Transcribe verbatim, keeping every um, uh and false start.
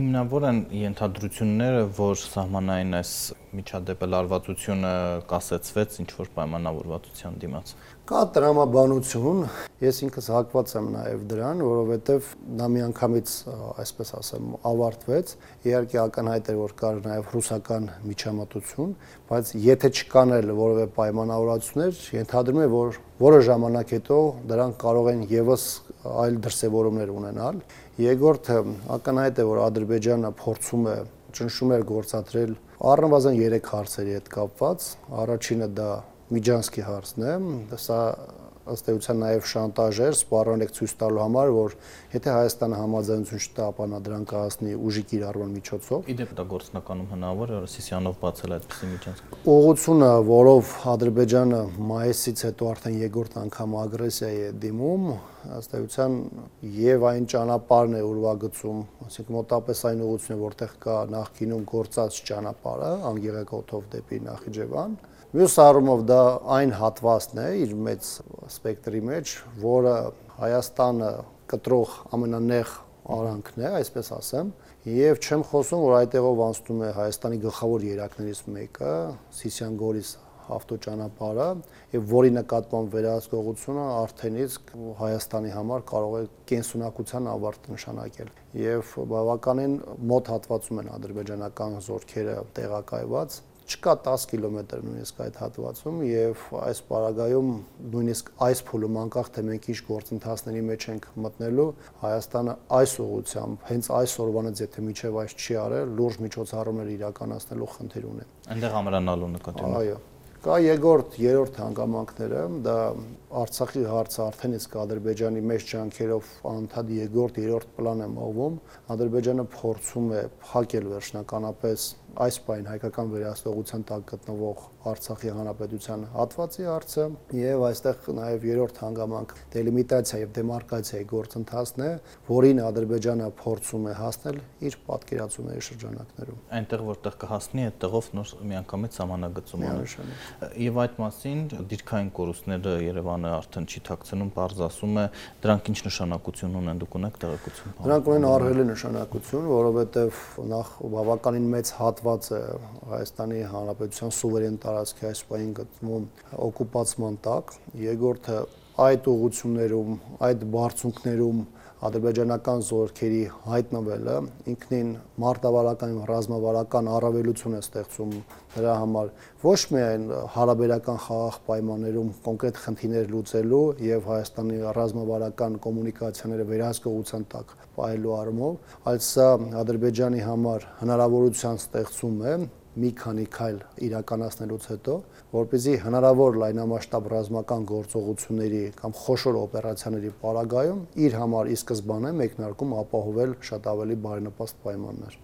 հիմնավոր են ենթադրությունները, որ սահմանային այս միջադեպը լարվածությունը կասեցվեց ինչ-որ պայմանավորվածության դիմաց։ Կա տրամաբանություն, ես ինքս հակված եմ նաև դրան, որովհետև նա միանգամից, այսպես ասեմ, ավարտվեց, իհարկե ակնհայտ էր, որ կար նաև ռուսական միջամտություն, բայց եթե չկան էլ որևէ պայմանավորվածություններ, ենթադրում եմ, որ որոշ ժամանակ հետո դրանք կարող են եւս այլ դրսևորումներ ունենալ։ Երկրորդը ակնհայտ է, որ Ադրբեջանը փորձում է ճնշում էր գործադրել առնվազն երեք հարցերի հետ կապված։ Առաջինը դա Միջանցքի հարցն է, սա ըստ էության նաև շանտաժ էր, սպառնալիք ցույց տալու համար, որ եթե Հայաստանը համաձայնություն չտա, ապա նա դրան կհասնի ուժի կիրառման միջոցով։ Իդեպ դա գործնականում հնարավոր է Սիսիանով բացել այդպիսի միջանցք։ Ուղղությունը, որով Ադրբեջանը մայիսից հետո արդեն երկրորդ անգամ ագրեսիայի է դիմում, ըստ էության եւ այն ճանապարհն է ուրվագծում, ասենք մոտապես այն ուղղությունը, որտեղ կա նախկինում գործած ճանապարհը, Անգեղեգոտով դեպի Նախիջևան։ Մյուս առումով դա այն հատվածն է իր մեծ սպեկտրի մեջ, որը Հայաստանը կտրող ամենանեղ արանքն է, այսպես ասեմ, եւ չեմ խոսում, որ այդտեղով անցնում է Հայաստանի գլխավոր երակներից մեկը, Սիսիան-Գորիս ավտոճանապարհը, եւ որի նկատմամբ վերահսկողությունը արդեն իսկ Հայաստանի համար կարող է կենսունակության ավարտ նշանակել։ Եվ բավականին մոտ հատվածում են ադրբեջանական զորքերը տեղակայված, չկա տասը կիլոմետր նույնիսկ այդ հատվածում եւ այս պարագայում նույնիսկ այս փուլում անկախ թե մենք ինչ գործընթացների մեջ ենք մտնելու, Հայաստանը այս ուղղությամբ հենց այս օրվանից եթե միջև այս չի արել, լուրջ միջոցառումներ իրականացնելու խնդիր ունի։ Այնտեղ ամրանալու նկատի ունի։ Այո։ Կա երկրորդ, երրորդ հանգամանքները, դա Արցախի հարցը արդեն իսկ Ադրբեջանի մեծ ջանքերով անընդհատ երկրորդ, երրորդ պլան է մղվում։ Ադրբեջանը փորձում է փակել վերջնականապես այս պայն հայկական վերահսկողության տակ գտնվող Արցախի հանրապետության հատվածի հարցը եւ այստեղ նաեւ երրորդ հանգամանք դելիմիտացիա եւ դեմարկացիայի գործընթացն է, որին Ադրբեջանը փորձում է հասնել իր պատկերացումների շրջանակներում։ Այնտեղ որտեղ կհասնի, այդտեղով նոր միանգամից սահմանագծում անի։ Եվ այդ մասին դիրքային կորուստները Երևանը արդեն չի ཐակցնում, բարձ ասում է, դրանք ինչ նշանակություն ունեն, դուք ունեք տեղեկություն։ Դրանք ունեն ահռելի նշանակություն, որովհետեւ նախ բավականին մեծ հատված է Հայաստանի Հանրապետության սուվերեն տարածքի այս պահին գտնվում օկուպացման տակ, երկրորդը այդ ուղղություններում, այդ բարձունքներում ադրբեջանական զորքերի հայտնվելը ինքնին մարտավարական եւ ռազմավարական առավելություն է ստեղծում դրա համար ոչ միայն հարաբերական խաղաղ պայմաններում կոնկրետ խնդիրներ լուծելու եւ Հայաստանի ռազմավարական կոմունիկացիաները վերահսկողության տակ պահելու առումով, այլ սա Ադրբեջանի համար հնարավորության ստեղծում է մի քանի քայլ իրականացնելուց հետո, որպեսզի հնարավոր լայնամասշտաբ ռազմական գործողությունների կամ խոշոր օպերացիաների պարագայում իր համար ի սկզբանե մեկնարկում ապահովել շատ ավելի բարենպաստ պայմաններ։